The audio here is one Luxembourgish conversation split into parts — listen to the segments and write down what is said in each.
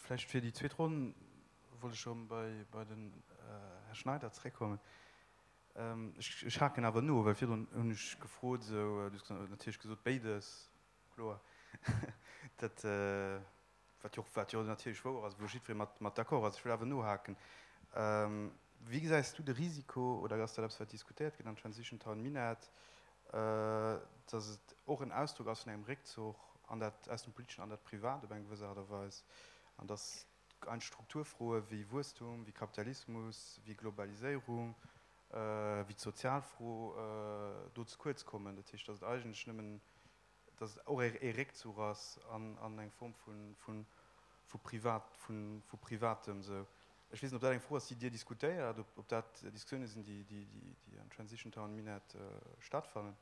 Vläicht fir déi zweet Ronn wollt ech erëm bei den Här Schneider zréckkommen. Ech haken awer no, well virdrun hunn ech gefrot, esou, du hues natierlech gesot, béides, kloer, dat, wat jo och, wat jo natierlech wouer ass, wou jiddweree mat, mat d'accord ass. Ech wëll awer nohaken. Wéi gesäis du de Risiko, oder ass dat eppes, wat diskutéiert gëtt an Transition Town Minett, datt et och en Ausdrock ass vun engem Réckzuch an dat, aus dem Politeschen an dat Privat op eng gewëss Aart a Weis, an datt Ein Strukturfroe wéi Wuesstum, wéi Kapitalismus, wéi Globaliséierung, wéi d'Sozialfro do ze kuerz kommen. Dat heescht, datt et eigentlech nëmmen, datt et och ee Réckzuch ass an eng Form vu Privat, vu Privatem esou. Ech weess net, ob dat eng Fro ass, déi Dir diskutéiert, ob dat Diskussioune sinn, déi an Transition Town Minett stattfannen.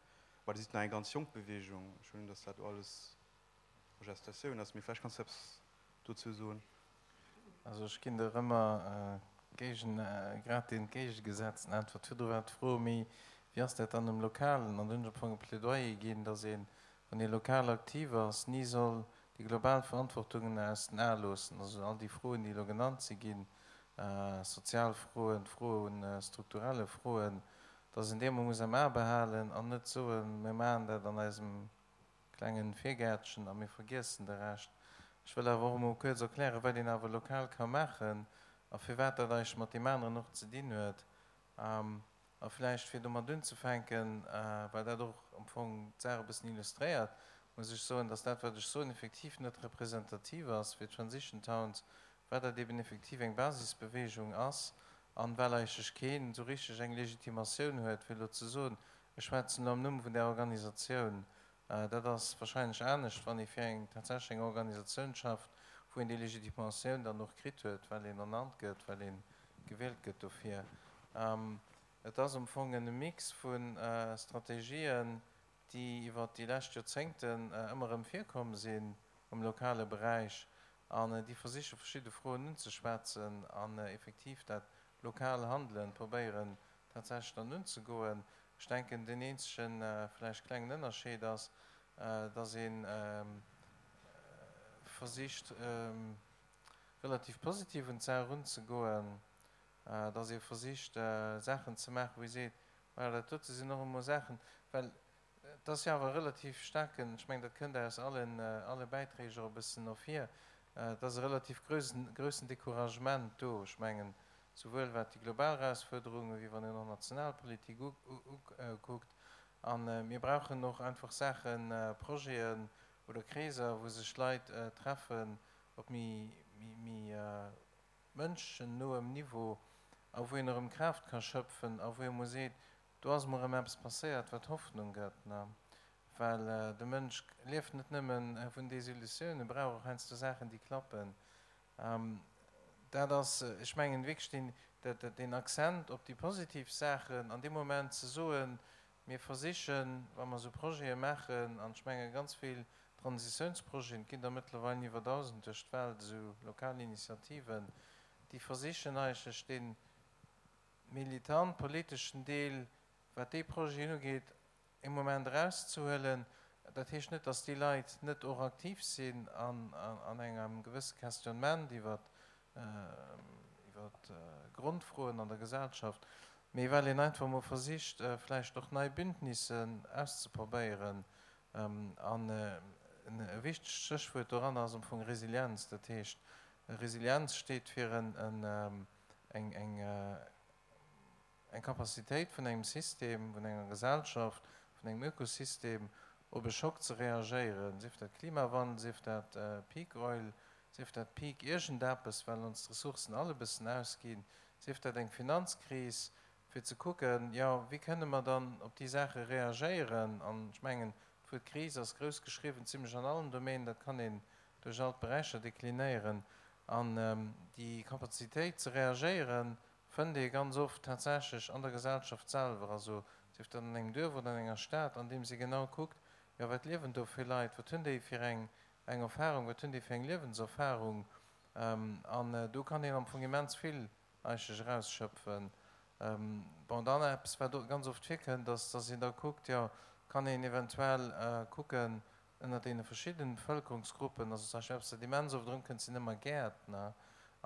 Well Dir sidd nach eng ganz jonk Beweegung. Ech huelen un, datt dat do alles Gestatioun ass, mee vläicht kanns du eppes dozou soen. Also ech ginn der ëmmer géigen, grad déi entgéigegesetzten Äntwert. Virdru war d'Fro, mee wéi ass dat dann um Lokalen? An do hunn ech am Fong e Plädoyer ginn, datt een, wann ee lokal aktiv ass, ni soll déi global Verantwortungen aus den Ae loossen. Also all déi Froen, déi elo genannt si ginn, sozial Froen, d'Fro un strukturelle Froen, datt een déi emol muss am A behalen an net soen, mir maachen dat an eisem klengen Virgäertchen a mir vergiessen de Rescht. Ech wëll awer och emol kuerz erklären, wat een awer lokal ka maachen a firwat dat eigentlech mat deem aneren och ze dinn huet. A vläicht fir domat unzefänken, well dat och am Fong d'Saach e bëssen illustréiert, muss ech soen, dass dat, wat ech soen, effektiv net representativ ass fir d'Transition Towns, well dat eben effektiv eng Basisbewegung ass an well eigentlech keen esou richteg eng Legitimatioun huet, fir elo ze soen, Ech schwätzen elo am Numm vun där Organisatioun. Dat ass wahrscheinlech anescht, wann ee fir eng tatsächlech eng Organisatioun schafft, wou een déi Legitimatioun dann och kritt huet, well een ernannt gëtt, well ee gewielt gëtt dofir. Et ass am Fong e Mix vu Strategien, déi iwwert déi lescht Joerzéngten ëmmer erëm virkomm sinn um lokale Beräich an déi versiche verschidde Froen unzeschwätzen an effektiv dat lokal Handelen probéieren tatsächlech dann unzegoen. Ech denken, deen eenzege vläicht klengen Ënnerscheed ass, dass ee versicht, relativ positiv un d'Saach erunzegoen, dass ee versicht, Saachen ze maachen, wou ee seet, Voilà, dat dote sinn och emol Saachen, well Et ass jo awer e relativ staarken, ech mengen, dat kënnt aus allen, alle Bäiträg och e bëssen ervir, et ass e relativ groussen, groussen Découragement do. Ech mengen, souwuel wat déi global Erausfuerderungen, wéi wann een och national Politik ukuckt. A mir brauchen och einfach Saachen, Projeten oder Kreeser, wou sech Leit treffen op méi, méi mënschennoem Niveau a wou een erëm Kraaft ka schöpfen a wou ee mol seet, Do ass emol erëm eppes passéiert, wat Hoffnung gëtt, ne? Well de Mënsch lieft net nëmme vun Desillusioun, e brauch och heiansdo Saachen, déi klappen. Dat ass, ech mengen, wierklech deen, deen Accent op déi positiv Saachen an deem Moment ze soen, mir versichen, wa mer esou Projete maachen, an ech menge ganz vill Transitiounsprojeten, et ginn der mëttlerweil iwwer 1.000 duerch d'Welt, esou lokal Initiativen, déi versichen eigentlech deen, militant politeschen Deel, wat déi Projeten ugeet, ee Moment erauszehuelen. Dat heescht net, datt déi Leit net och aktiv sinn an engem gewësse Questionnement iwwer Grondfroen an der Gesellschaft, mee well een einfach emol versicht, vläicht och nei Bündnissen auszeprobéieren. An e wichtegt Stéchwuert doranner ass am Fong Resilienz. Dat heescht, Resilienz steet fir en eng eng Capacitéit vun engem System, vun enger Gesellschaft, vun engem Ökosystem op e Schock ze reagéieren, sief dat Klimawandel, sief dat Peak Oil, sief dat Peak iergendeppes, well ons d'Ressourcen all e bëssen ausginn, sief dat eng Finanzkris, fir ze kucken, jo, wéi kënne mer dann op déi Saache reagéieren. An ech mengen, d'Wuert Kris ass grouss geschriwwen, zimlech an allen Domänen, dat kann een duerch all d'Beräicher deklinéieren. An déi Kapazitéit ze reagéieren, fënnt ee ganz oft tatsächlech an der Gesellschaft selwer, also sief dat an engem Duerf oder an enger Stad, andeems ee genau kuckt, jo wat liewen do fir Leit, wat hunn déi fir eng eng Erfahrung, wat hunn déi fir eng Liewenserfahrung. An do kann een am Fong immens vill eigentlech erausschöpfen. Bon, dann eppes wat ganz oft virkënnt, ass, dass een da kuckt, jo kann een eventuell kucken. Ënnert deene verschiddenen Bevëlkerungsgruppen, also zum Beispill eppes, wat immens oft erëmkënnt, sinn ëmmer Gäertner.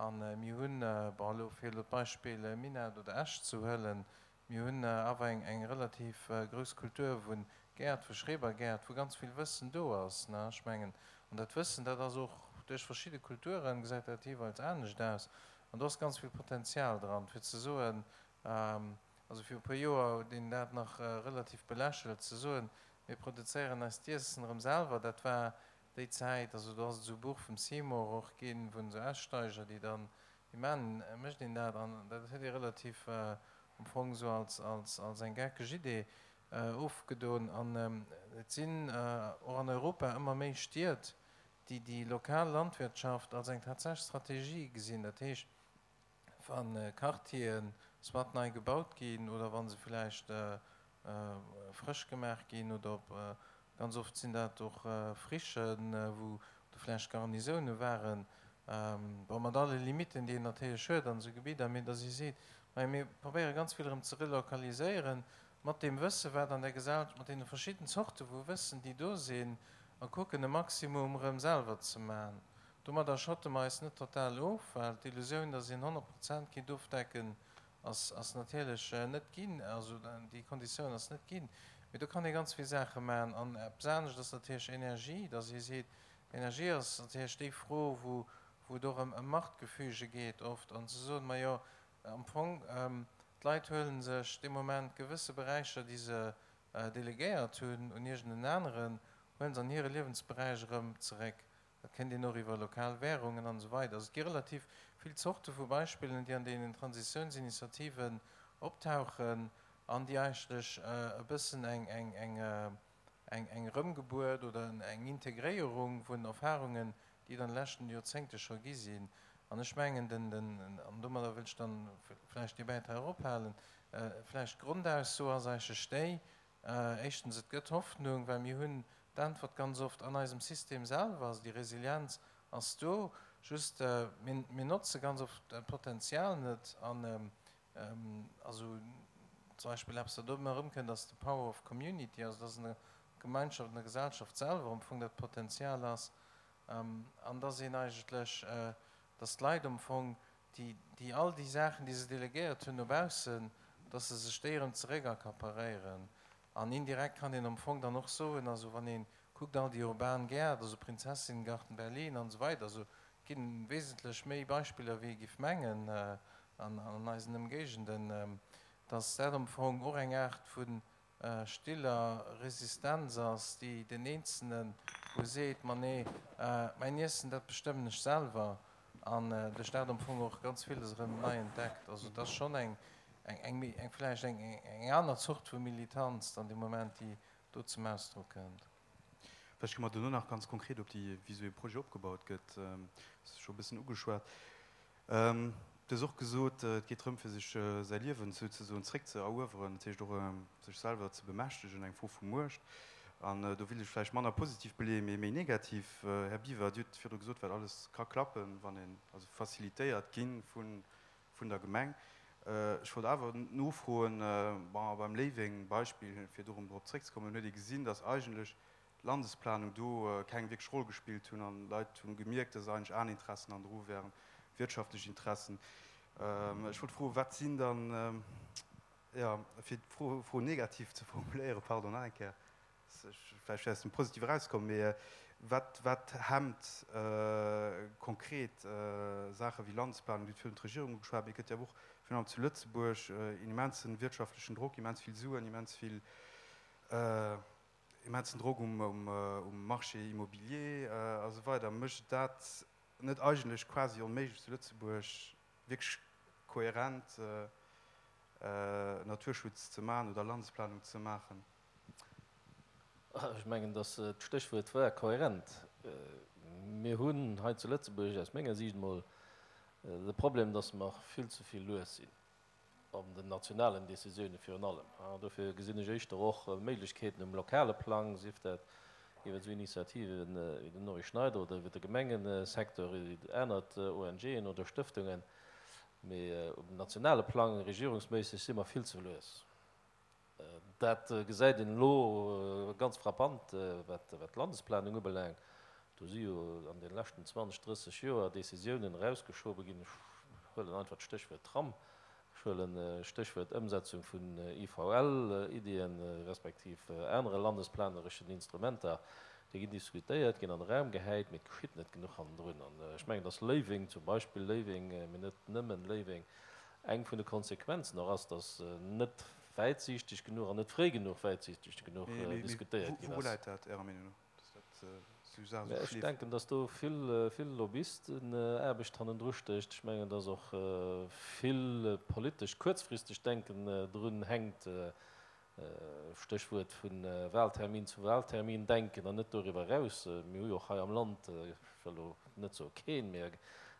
A mir hunn, bon, elo fir elo d'Beispill Minett oder Esch ze huelen, mir hunn awer eng, eng relativ grouss Kultur vu Gäert, vu Schrebergäert, wou ganz vill Wëssen do ass, ne. Ech mengen, an dat Wëssen, dat ass och duerch verschidde Kulturen, gesäit dat jeeweils anescht aus. An do ass ganz vill Potenzial dran, fir ze soen, also viru e puer Joer huet een dat nach relativ belächelt, ze soen, Mir produzéieren eist Iessen erëm selwer. Dat war déi Zäit, also do ass et esou e Buch vum Seymour och ginn, vun esou Aussteiger, déi dann, wéi man, mécht een dat? An dat huet ee relativ am Fong esou als, als, als eng geckeg Idee ofgedon. An et sinn och an Europa ëmmer méi Stied, déi déi lokal Landwirtschaft als eng tatsächlech Strategie gesinn. Dat heescht, wa Quartieren soit nei gebaut ginn oder wa se vläicht frësch gemaach ginn oder op, ganz oft sinn dat och Frichen, wou do vläicht Garnisoune waren, bon, mat alle Limiten, déi een natierlech huet an esou Gebidder, mee datt ee seet, majo mir probéiere ganz vill erëm ze relokaliséieren, mat deem Wësse wat an der Gesellschaft, mat deene verschidden Zorte vu Wëssen, déi do sinn, a kucken e Maximum erëm selwer ze maachen. Domadder schotte mer eis net total of, well d'Illusioun, datt een 100 Prozent kinnt ofdecken, ass ass natierlech net ginn. Also déi Konditioun ass net ginn. Mee do kann ee ganz vill Saache maachen. An eppes anescht ass natierlech Energie, datt ee seet, Energie ass natierlech déi Fro, wou wou et och ëm ëm Machtgefüge geet oft, an ze soen, majo am Fong, d'Leit huele sech dee Moment gewësse Beräicher, déi se delegéiert hunn un iergend en aneren, huele se an hire Liewensberäich erëm zeréck. Dat kéint een och iwwer lokal Währungen an esou weider. Also et gi relativ vill Zorte vu Beispillen, déi an deenen Transitiounsinitiativen optauchen an déi eigentlech e bëssen eng Erëmgebuert oder eng Integréierung vun Erfahrungen, déi et an de leschten Joerzéngte scho gi sinn. An ech mengen, den, an domadder wëll ech dann vläicht dee Bäitrag och ophalen, vläicht d'Grondausso ass eigentlech déi, Éischtens, et gëtt Hoffnung, well mir hunn d'Äntwert ganz oft an eisem System selwer. Also déi Resilienz ass do, just mir notze ganz oft d'Potenzial net. An also zum Beispill eppes, wat do ëmmer erëmkënnt, ass de Power of Community, also dass an der Gemeinschaft, an der Gesellschaft selwer am Fong dat Potenzial ass an dass een eigentlech, dass d'Leit am Fong déi, déi all déi Saachen, déi se delegéiert hunn no baussen, dass se sech déi erëm zeréckaccaparéieren. An indirekt kann een am Fong dann och soen, also wann ee kuckt all déi urban Gäert, also Prinzessinnengarten Berlin an esou weider, also et gi wesentlech méi Beispiller wéi ee giff mengen an eisen Ëmgéigenden, dass dat am Fong och eng Aart vu stiller Resistenz ass, déi den Eenzelnen wou seet, ma nee, mäin Iessen, dat bestëmmen ech selwer, an duerch dat am Fong och ganz villes erëm nei entdeckt. Also et ass schonn eng, eng, eng vläicht eng, eng aner Zort vu Militanz dann dee Moment, déi do zum Ausdrock kënnt. Vläicht komme mer dono nach ganz konkret op déi, wéi esou ee Projet opgebaut gëtt. Dat ass scho e bëssen ugeschwat. Du hues och gesot, et geet drëm, fir sech säi Liewen souzesoen zréck ze erueweren, dat heescht och sech selwer ze bemächtegen, eng Fro vu Muecht. An do wéilt ech vläicht manner positiv beleeën, mee méi negativ. Här Biwer, Dir hutt virdru gesot, wat alles ka klappen, wann een, also facilitéiert gi vun der Gemeng. Ech wollt awer nofroen, bon, beim Léiweng-Beispill, fir do erëm drop zréckzekommen, huet ee gesinn, datt eigentlech Landesplanung do keng wierklech Roll gespillt hunn an d'Leit hunn gemierkt, dass eigentlech aner Interessen an dru wären, wirtschaftlech Interessen. Ech wollt froen, wat sinn dann, jo, fir d'Fro Fro negativ ze formuléieren, pardon, nach eng Kéier, vläicht aus dem Positive erauskomm, mee wat wat hemmt konkret Saache wéi Landesplanung, Dir hutt virun d'Regierung ugeschwat, mee et gëtt jo awer och virun allem zu Lëtzebuerg en immensen wirtschaftlechen Drock, immens vill Suen, immens vill, immensen Drock um Marché immobilier a sou weider, mécht et dat net eigentlech quasi onméiglech zu Lëtzebuerg wierklech kohärent Naturschutz ze maachen oder Landesplanung ze maachen? Ech mengen, datt d'Stéchwuert war kohärent. Mir hunn hei zu Lëtzebuerg aus menger Siicht emol de Problem, datt mer vill ze vill lues sinn. An den nationalen Décisioune virun allem. Dofir gesinn ech éischter och Méiglechkeeten um lokale Plang, sief dat iwwer esou Initiativen wéi den Norry Schneider oder iwwer de Gemengesecteur, iwwer aner ONGen oder Stëftungen. Mee um nationale Plang, regierungsméisseg, si mer vill ze lues. Dat gesäit een elo ganz frappant, wat d'Landesplanung ubelaangt. Do si jo an de leschten 20, 30 Joer Décisiounen erausgeschobe ginn. Ech huelen einfach d'Stéchwuert Tram, ech huelen d'Stéchwuert Ëmsetzung vun IVL-Iddien, respektiv anere landesplanereschen Instrumenter. Déi ginn diskutéiert, ginn an de Raum gehäit, mee et geschitt net genuch hannendrun. An ech mengen, dass Léiweng zum Beispill, Léiweng, mee net nëmmen Léiweng, eng vun de Konsequenzen och ass, dass net wäitsiichteg genuch an net fréi genuch wäitsiichteg genuch diskutéiert ginn ass. Wou läit dat Ärer Meenung no, dass dat esou esou schleef? Ech denken, dass do vill, vill Lobbyistenaarbecht hannendru stécht. Ech mengen, dass och vill politesch kuerzfristegt Denken drun hänkt, Stéchwuert vu Wahltermin zu Wahltermin denken an net doriwwer eraus. Mir hu jo och hei am Land, ech wëll elo net soe keen, mä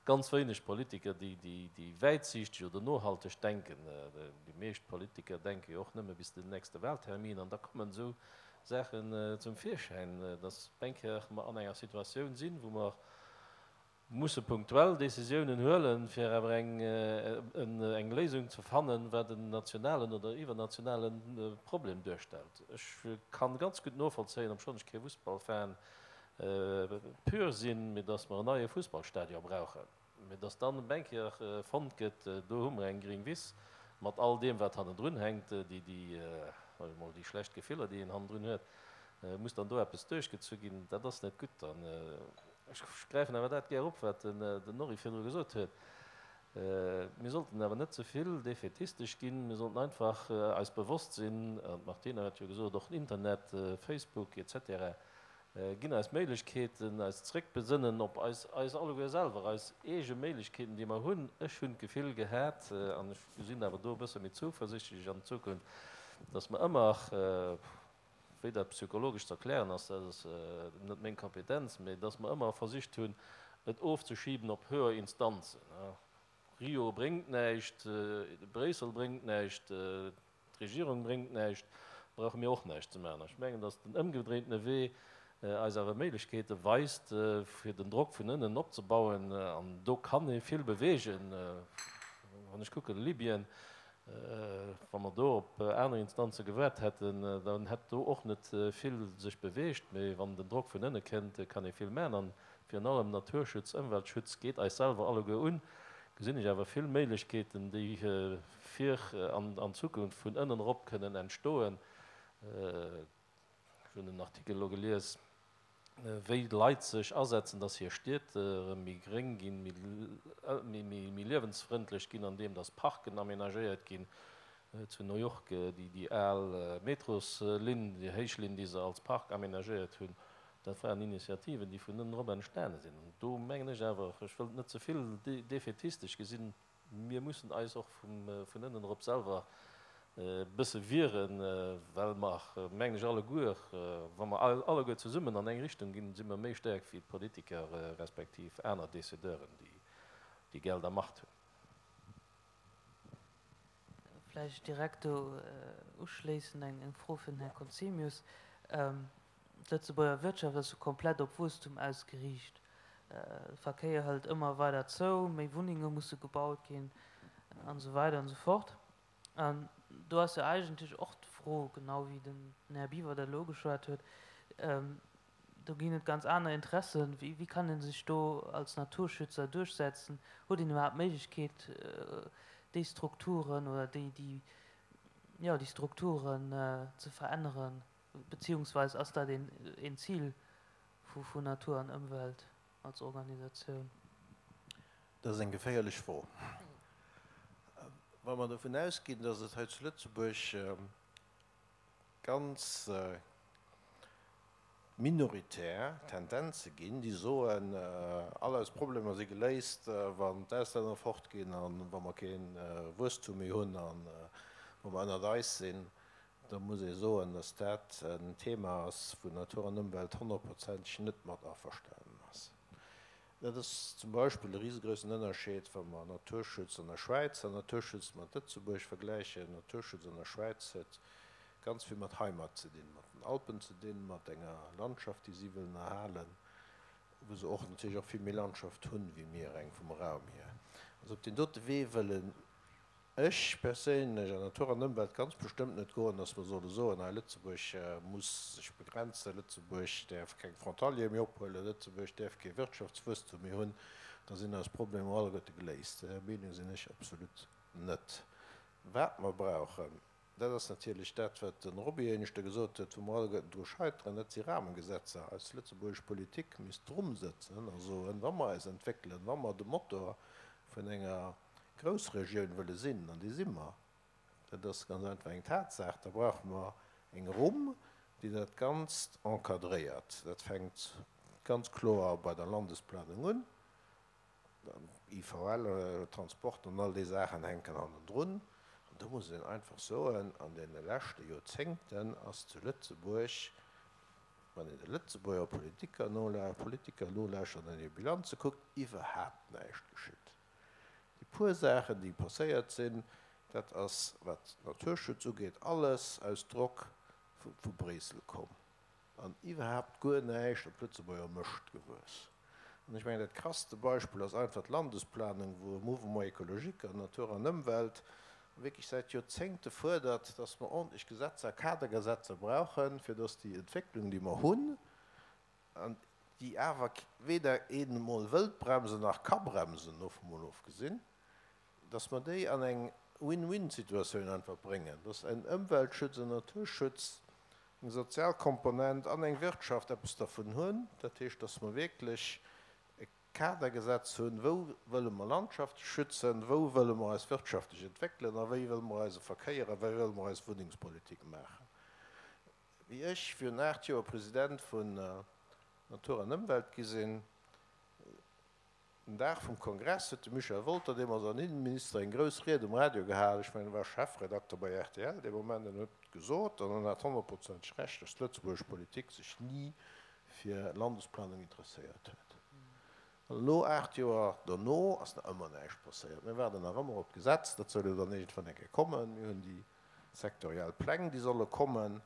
ganz wéineg Politiker, déi wäitsiichteg oder nohalteg denken. Déi meescht Politiker denke jo och nëmme bis den nächste Wahltermin an da kommen esou Saachen zum Virschäin, datt eng Kéier mer an enger Situatioun sinn, wou mer musse punktuell Décisiounen huelen, fir awer eng Léisung ze fannen, wat en nationalen oder iwwernationale Problem duerstellt. Ech kann ganz gutt novollzéien, obschonn ech kee Fussballfan pur sinn, mee datt mer en neie Fussballstadion brauchen, mee datt dann eng Kéier fonnt gëtt, do hu mer eng gring Wiss mat all deem wat hannendrun hänkt, déi, soen ech mol, déi schlecht Gefiller, déi een hannendrun huet, muss dann do eppes duerchgezu ginn, dat ass net gutt. An ech gräifen awer dat gär op, wat den Norry virdru gesot huet, Mir sollten awer net ze vill defätistesch ginn. Mir sollten einfach eis bewosst sinn, an d'Martine huet jo gesot, och den Internet, Facebook et cetera ginn eis Méiglechkeeten, eis zréckbesënnen op eis, eis alleguer selwer, eis eege Méiglechkeeten, déi mer hunn. Ech hunn d'Gefill gehat, an ech gesinn awer do e bësse méi zouversichtlech an d'Zukunft, dass mer ëmmer, wéi dat psychologesch ze erklären ass, dat ass net meng Kompetenz, mä dass mer ëmmer versicht hunn, et ofzeschiben op höher Instanzen. Rio bréngt näischt, Bréissel bréngt näischt, D'Regierung bréngt näischt, brauche mir och näischt ze maachen. Ech mengen, datt den ëmgedréintene Wee eis awer Méiglechkeete weist, fir den Drock vun ënnen opzebauen. An do kann ee vill beweegen. Wann ech kucken, Libyen, wa mer do op aner Instanze gewaart hätten, dann hätt do och net vill sech beweegt. Mee wann den Drock vun ënne kënnt, kann ee vill maachen. An virun allem Naturschutz, Ëmweltschutz geet eis selwer alleguer un. Gesinn ech awer vill Méiglechkeeten, déi fir an Zukunft vun ënnen erop kënnen entstoen. Ech hunn en Artikel elo gelies, wéi Leit sech asetzen, dass hir Stied erëm méi gréng ginn, méi liewensfrëndlech ginn, andeem dass Parken amenagéiert ginn. Zu New York déi al Metroslinn, déi héich Linn, déi se als Park amenagéiert hunn, dat waren Initiativen, déi vun ënnen erop entstane sinn. An do mengen ech awer, ech wëll et net ze vill defätistesch gesinn, Mir mussen eis och vun ënnen erop selwer e bësse wieren, well mer, mengen ech, alleguer, wa mer alleguer zesummen an eng Richtung ginn, si mer méi staark wéi d'Politiker respektiv aner Décideuren, déi Geld a Macht hunn. Vläicht direkt do uschléissend eng Fro fir den Här Conzemius. D'Lëtzebuerger Wirtschaft ass jo komplett op Wuesstum ausgeriicht. De Verkéier hëlt ëmmer weider zou, méi Wunnenge musse gebaut ginn an esou weider an esou fort. An do ass jo eigentlech och d'Fro, genau wéi den Här Biwer dat elo ugeschwat huet, do ginn et ganz aner Interessen. Wéi kann ee sech do als Naturschützer duerchsetzen? Huet een iwwerhaapt d'Méiglechkeet, déi Strukturen oder déi, jo, déi Strukturen ze veränneren? Beziehungsweis ass dat een Zil vu Natur an Ëmwelt als Organisatioun? Dat ass eng geféierlech Fro. Wa mer dovun ausginn, datt et hei zu Lëtzebuerg ganz minoritär Tendenze ginn, déi soen, all eis Problemer si geléist, wann d'Auslänner fortginn a wa mer kee Wuesstum méi hunn a wa mer ënnert eis sinn, Da muss ee soen, dass dat en Thema ass, wou Natur an Ëmwelt honnertprozenteg net mat averstanen ass. Dat ass zum Beispill e risegroussen Ënnerscheed, wa mer Naturschutz an der Schwäiz an Naturschutz mat Lëtzebuerg vergläichen. Naturschutz an der Schwäiz huet ganz vill mat Heimat ze dinn, mat den Alpen ze dinn, mat enger Landschaft, déi si wëllen erhalen, wou se och natierlech och vill méi Landschaft hunn, wéi mir, reng vum Raum hier. Also op deen dote Wee wëllen. Ech perséinlech, an Natur an Ëmwelt ganz bestëmmt net goen, dass mer solle soen, hei Lëtzebuerg muss sech begrenzen, Lëtzebuerg däerf keng Frontaliere méi ophuelen, Lëtzebuerg däerf kee Wirtschaftswuesstum méi hunn, da sinn eis Problemer alleguerte geléist. Där Meenung sinn ech absolut net. Wat mer brauchen, dat ass natierlech dat, wat de Roby éineschter gesot huet, wou mer alleguerten dru scheiteren, dat si Rahmengesetzer. Eis lëtzebuergesch Politik misst drumsëtzen a soen, wa mer eis entwéckelen, wa mer de Motor vun enger Groussregioun wëlle sinn, an déi si mer, dat ass ganz einfach eng Tatsaach, da brauche mer eng Rumm, déi dat Ganzt encadréiert. Dat fänkt ganz kloer bei der Landesplanung un, IVL, Transport an all déi Saachen hänken hannendrun. An do muss een einfach soen, an deene leschte Joerzéngten ass zu Lëtzebuerg, wann een de Lëtzebuerger Politiker nolauschtert an hir Bilanze kuckt, iwwerhaapt näischt geschitt. Déi puer Saachen, déi passéiert sinn, dat ass, wat Naturschutz ugeet, alles aus Drock vu Bréissel komm an iwwerhaapt guer näischt op Lëtzebuerger Mëscht gewuess. An ech mengen, dat krasste Beispill ass einfach d'Landesplanung, wou e Mouvement écologique an Natur an Ëmwelt wierklech säit Joerzéngte fuerdert, dass mer ordentlech Gesetzer, Kadergesetzer brauchen, fir dass déi Entwécklung, déi mer hunn, an déi awer weder een emol wëllt bremsen nach ka bremsen, dovun mol ofgesinn, dass mer déi an eng Win-win-Situatioun einfach bréngen, dass en Ëmweltschutz, en Naturschutz, eng sozial Komponent an eng Wirtschaft eppes dervun hunn. Dat heescht, dass mer wierklech e Kadergesetz hunn, wou wëlle mer Landschafte schützen, wou wëlle mer eis wirtschaftlech entwéckelen a wéi wëlle mer eise Verkéier a wéi wëlle mer eis Wunnengspolitik maachen. Wéi ech virun 8 Joer President vun Natur an Ëmwelt gi sinn, den Dag vum Kongress, huet de Michel Wolter, deemools an Innenminister, eng grouss Ried um Radio gehal, ech mengen, e war Chefredakter bei rtl dee Moment, an huet gesot, an en hat honnertprozenteg Recht, dass d'lëtzebuergesch Politik sech ni fir Landesplanung interesséiert huet. An elo, 8 Joer dono, ass nach ëmmer näischt passéiert. Mir waarden nach ëmmer op d'Gesetz, dat soll jo dann iergendwann eng Kéier kommen. Mir hunn déi Sektoriell Pläng, déi solle kommen,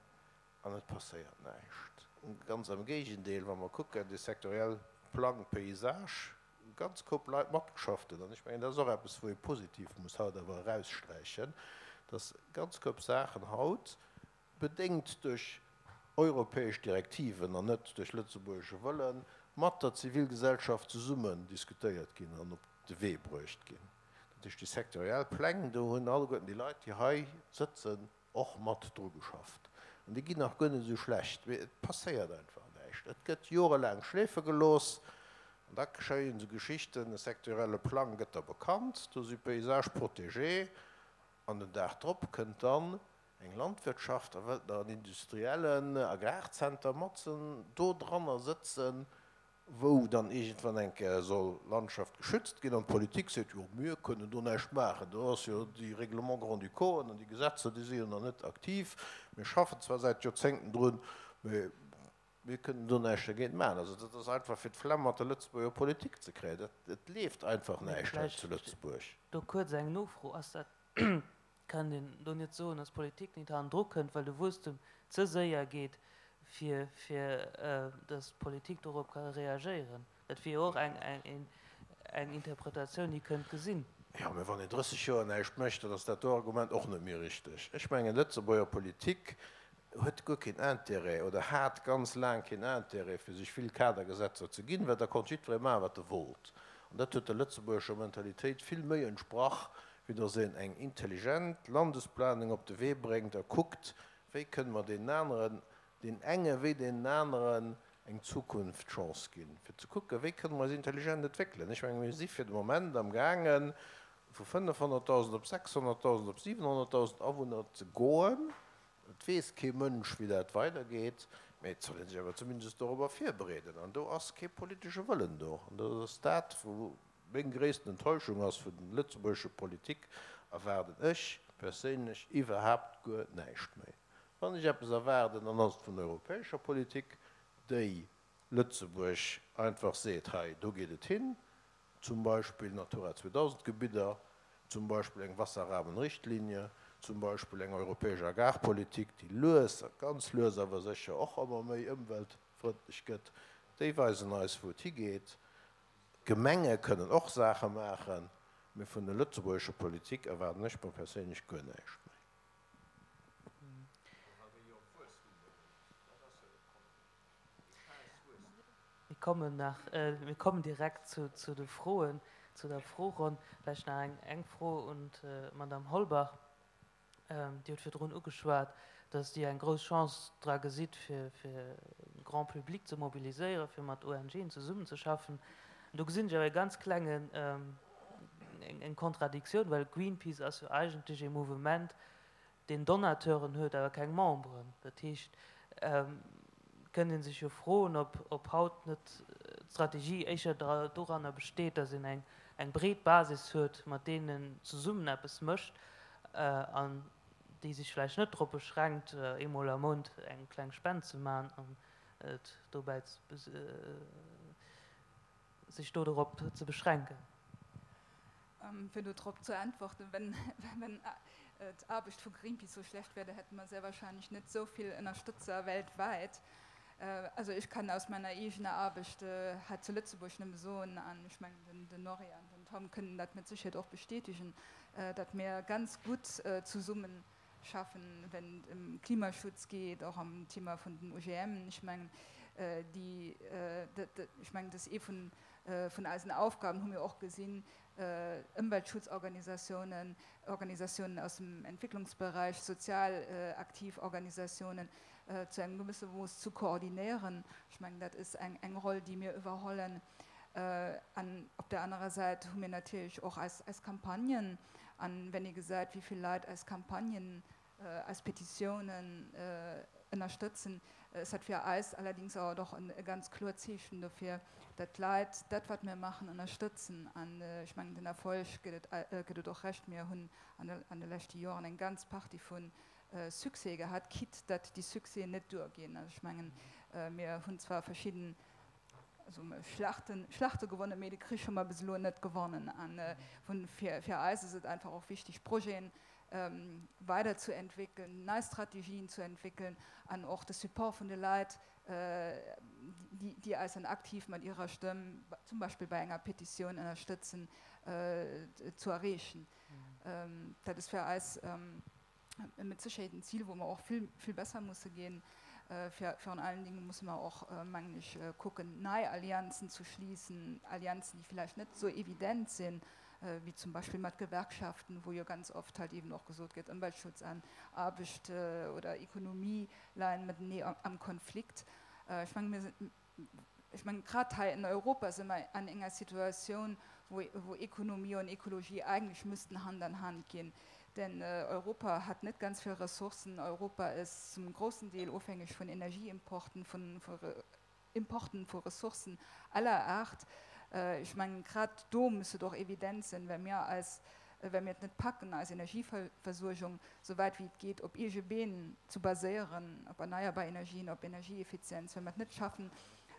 an et passéiert näischt. Ganz am Géigendeel, wa mer kucken, dee sektorielle Plang Paysage, hu ganz Koup Leit matgeschafft hunn. An ech mengen, dat ass och eppes, wou ee positiv muss haut awer eraussträichen, dass ganz Koup Saachen haut, bedéngt duerch europäesch Direktiven an net duerch lëtzebuergesche Wëllen, mat der Zivilgesellschaft zesummen diskutéiert ginn an op de Wee bruecht ginn. Dat heescht, déi sektoriell Pläng, do hunn alleguerten déi Leit, déi hei sëtzen, och mat dru geschafft. An déi ginn nach guer net esou schlecht. Mee et passéiert einfach näischt. Et gëtt jorelaang schleefe gelooss. An da geschéien esou Geschichten, e sektorielle Plang gëtt da bekannt, do si Paysages protégés. An den Dag drop kënnt dann eng Landwirtschaft a wëllt nach en industriellen Agrarzenter matzen do dranner sëtzen, wou dann iergendwann eng Kéier soll Landschaft geschützt ginn, an d'Politik seet, jo mir kënnen do näischt maachen, do ass jo déi Règlements grand-ducauxen an déi Gesetzer, déi si jo nach net aktiv, mir schaffen zwar säit Joerzéngten drun, mä mir kënnen do näischt dergéint maachen. Also dat ass einfach fir d'Flemm mat der Lëtzebuerger Politik ze kréien. Dat, et leeft einfach näischt hei zu Lëtzebuerg. Do kuerz eng Nofro, Ass dat Kann een do net soen, dass d'Politik nit hannendru kënnt, well de Wuesstem ze séier geet, fir fir dass d'Politik dorop ka reagéieren? Dat wier jo och eng eng Interpretatioun, déi kënnt gesinn. Jo, mä wann een 30 Joer näischt mécht, dann ass dat do Argument och net méi richteg. Ech mengen, d'Lëtzebuerger Politik huet guer keen Intérêt oder hat ganz laang keen Intérêt, fir sech vill Kadergesetzer ze ginn, well da konnt jiddweree maachen, wat e wollt. An dat huet der lëtzebuergescher Mentalitéit vill méi entsprach, wéi datt een eng intelligent Landesplanung op de Wee bréngt a kuckt, wéi kënne mer deenen aneren, deenen enge wéi deenen aneren eng Zukunftschance ginn, fir ze kucken, wéi kënne mer eis intelligent entwéckelen. Ech menge mir si fir de Moment am gaangen, vu 500.000 op 600.000 op 700.000 Awunner ze goen. Et weess kee Mënsch, wéi dat weidergeet, mä et soll ee sech awer zumindest dorobber virbereeden. An do ass kee politesche Wëllen do. An dat ass dat, wou Meng gréissten Enttäuschung ass, vun den lëtzebuergesche Politik erwaarden ech perséinlech iwwerhaapt guer näischt méi. Wann ech eppes erwaarden, dann ass et vun der europäescher Politik, déi Lëtzebuerg einfach seet, hei do geet et hin, zum Beispill Natura 2000 Gebidder, zum Beispill eng Wasserrahmenrichtlinie, zum Beispill eng europäesch Agrarpolitik, déi lues, ganz lues awer sécher och ëmmer méi ëmweltfrëndlech gëtt, déi weisen eis wou et higeet. D'Gemenge kënnen och Saache maachen. Mee vun der lëtzebuergescher Politik erwaarden ech mer perséinlech guer näischt méi. Mir kommen nach, mir kommen direkt zu, zu de Froen, zu der Froeronn. Vläicht nach eng, eng Fro un d'Madame Holbach. Dir hutt virdrun ugeschwat, dass Dir eng grouss Chance dra gesitt, fir, fir de Grand public ze mobiliséieren, fir mat ONGen zesummenzeschaffen. Do gesinn ech awer e ganz klengen, eng, eng Kontradiktioun, well Greenpeace ass jo eigentlech ee Mouvement, deen Donateuren huet, awer keng Memberen. Dat heescht, kënnt ee sech jo froen, ob, ob haut net d'Strategie éischer doranner besteet, datt een eng, eng breet Basis huet, mat deenen en zesummen eppes mécht an déi sech vläicht net drop beschränkt, eemol am Mount eng kleng Spend ze maachen an et dobäi sech do dorop ze beschränken. Fir do drop zu äntworten, Wenn, wenn d'Aarbecht vu Greenpeace sou schlecht wär, da hätte mer sehr wahrscheinlech net sou vill Ënnerstëtzer weltwäit. Also ech kann aus meiner eegener Aarbecht hei zu Lëtzebuerg nëmme soen, an ech mengen den Norry an den Tom kënnen dat mat Sécherheet och bestätigen, datt mir ganz gutt zesummen schaffen, wenn et ëm Klimaschutz geet, och am Thema vun den OGM. Ech mengen, déi, ech mengen, dat ass ee vun, vun eisen Aufgaben, hu mir och gesinn, Ëmweltschutzorganisatiounen, Organisatiounen aus dem Entwicklungsbereich, sozial aktiv Organisatiounen zu engem gewësse Mooss zu koordinéieren. Ech mengen, dat ass eng, eng Roll, déi mir iwwerhollen. An op der anerer Säit hu mir natierlech och eis, eis Campagnen. An wenn ee gesäit, wéi vill Leit eis Campagnen, eis Petitiounen ënnerstëtzen, ass dat fir eis allerdings awer och e ganz kloert Zeechen dofir, datt d'Leit dat, wat mir maachen, ënnerstëtzen. An ech mengen, den Erfolg gëtt et, gëtt et och Recht. Mir hunn an de leschte Joren eng ganz Partie vu Succèse gehat, quitte datt déi Succèsen net duerginn. Also ech mengen, mir hunn zwar verschidden Also Schlachten, Schlachte gewonnen, mee de Krich hu mer bis elo net gewonnen. A fir, fir eis ass et einfach och wichteg, Projeten weiderzuentwéckeln, nei Strategien zu entwéckeln an och de Support vun de Leit, déi, déi eis dann aktiv mat hirer Stëmm, zum Beispill bei enger Petitioun ënnerstëtzen, zu erreechen. Dat ass fir eis Mit Sécherheet en Zil, wou mer och vill, vill besser musse ginn. Virun allen Dingen musse mer och, mengen ech, kucken, nei Allianzen zu schließen, Allianzen, déi villäicht net esou evident sinn, wéi zum Beispill mat Gewerkschaften, wou jo ganz oft halt eben och gesot gëtt, Ëmweltschutz an Aarbecht oder Ekonomie leien matenee am Konflikt. Ech mengen, mir sinn, ech mengen, grad hei in Europa si mer an enger Situatioun, wou, wou Ekonomie und Ekologie eigentlech müssten Hand an Hand ginn. Denn Europa hat net ganz vill Ressourcen. Europa ist zum großen Deel ofhängeg vun Energieimporten, vun Importen vu Ressourcen aller Art. Ech mengen, grad do muss et och evident sinn, well mir eis, well mir et net packen, eis Energieversuergung sou wäit wéi et geet op eege Been ze baséieren, op erneierbar Energien, op Energieeffizienz, well mir et net schaffen,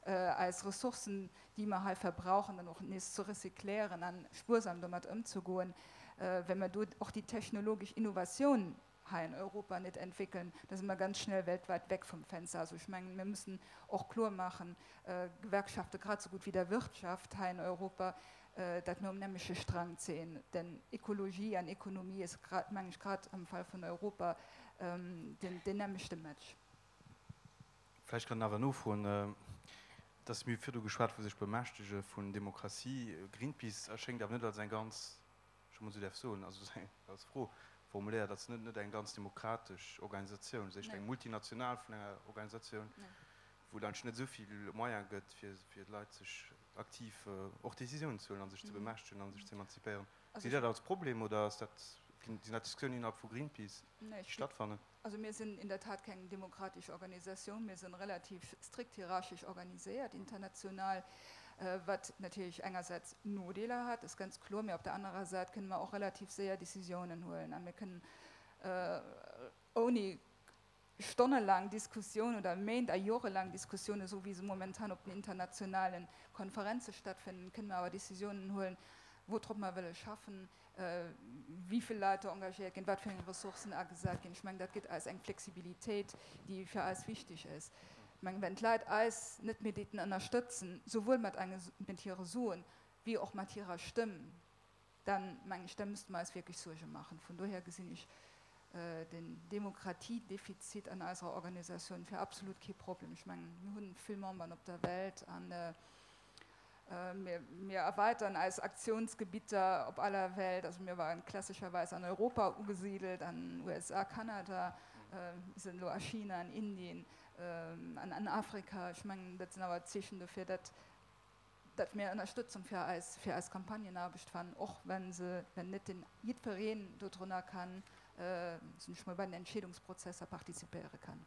eis Ressourcen, déi mer hei verbrauchen, dann och nees ze recycléieren a spuersam domat ëmzegoen, well mer do och déi technologesch Innovatioun hei an Europa net entwéckeln, da si mer ganz schnell weltweit weg vom Fenster. Also ech mengen, mir müssen och kloermaachen, Gewerkschafte grad esou gutt wéi der Wirtschaft hei in Europa, dat mir um nämleche Strang zéien. Denn Ekologie an Ekonomie ass, mengen ech, grad am Fall vun Europa deen nämlechte Match. Vläicht kann een awer nofroen, dass mir virdu geschwat vu sech bemächtege vun Demokratie. Greenpeace erschéngt awer net als eng ganz, ech emol esou däerf soen, also als Fro formuléiert, als net eng ganz demokratesch Organisatioun, ass éischter eng multinational vun enger Organisatioun, wou et eigentlech net esou vill Moyen gëtt, fir d'Leit sech aktiv och Décisiounen ze huelen a sech ze bemächtegen a sech ze emanzipéieren. Gesitt Dir dat als Problem oder ass dat, sinn dat Diskussiounen innerhalb vu Greenpeace, déi stattfannen? Also mir sinn in der Tat keng demokratesch Organisatioun, mir sinn relativ strikt hierarchisch organiséiert international, wat natierlech engersäits Nodeeler hat, ass ganz kloer, mee op der anerer Säit kënne mer och relativ séier Décisiounen huelen a mir kënnen ouni stonnelaang Diskussioun oder Méint a jorelaang Diskussioun, esou wéi se momentan op den internationale Konferenze stattfinden, kënne mer awer Décisiounen huelen, woudrop mer wëlle schaffen, wéi vill Leit do engagéiert ginn, wat fir eng Ressourcen agesat ginn. Ech mengen, dat gëtt eis eng Flexibilitéit, déi fir eis wichteg ass. Ech mengen, wenn d'Leit eis net méi deeten ënnerstëtzen, souwuel mat enge, mat hire Suen, wéi och mat hirer Stëmm. Dann, mengen ech, da müsste mer eis wierklech Suerge maachen. Vun dohier gesinn ech den Demokratiedefizit an eiserer Organisatioun fir absolut kee Problem. Ech mengen, mir hunn vill Memberen op der Welt a mir erweitern eis Aktionsgebitter op aller Welt. Also mir waren klassischerweis an Europa ugesidelt, an USA, Kanada, mir sinn elo a China, an Indien an an Afrika. Ech mengen, dat sinn awer Zeechen dofir, datt datt mir Ënnerstëtzung fir eis, fir eis Campagnenaarbecht fannen, och wenn se, wenn net den jiddwereen dodrunner kann, soen ech mol, bei den Entscheedungsprozesser partizipéiere kann.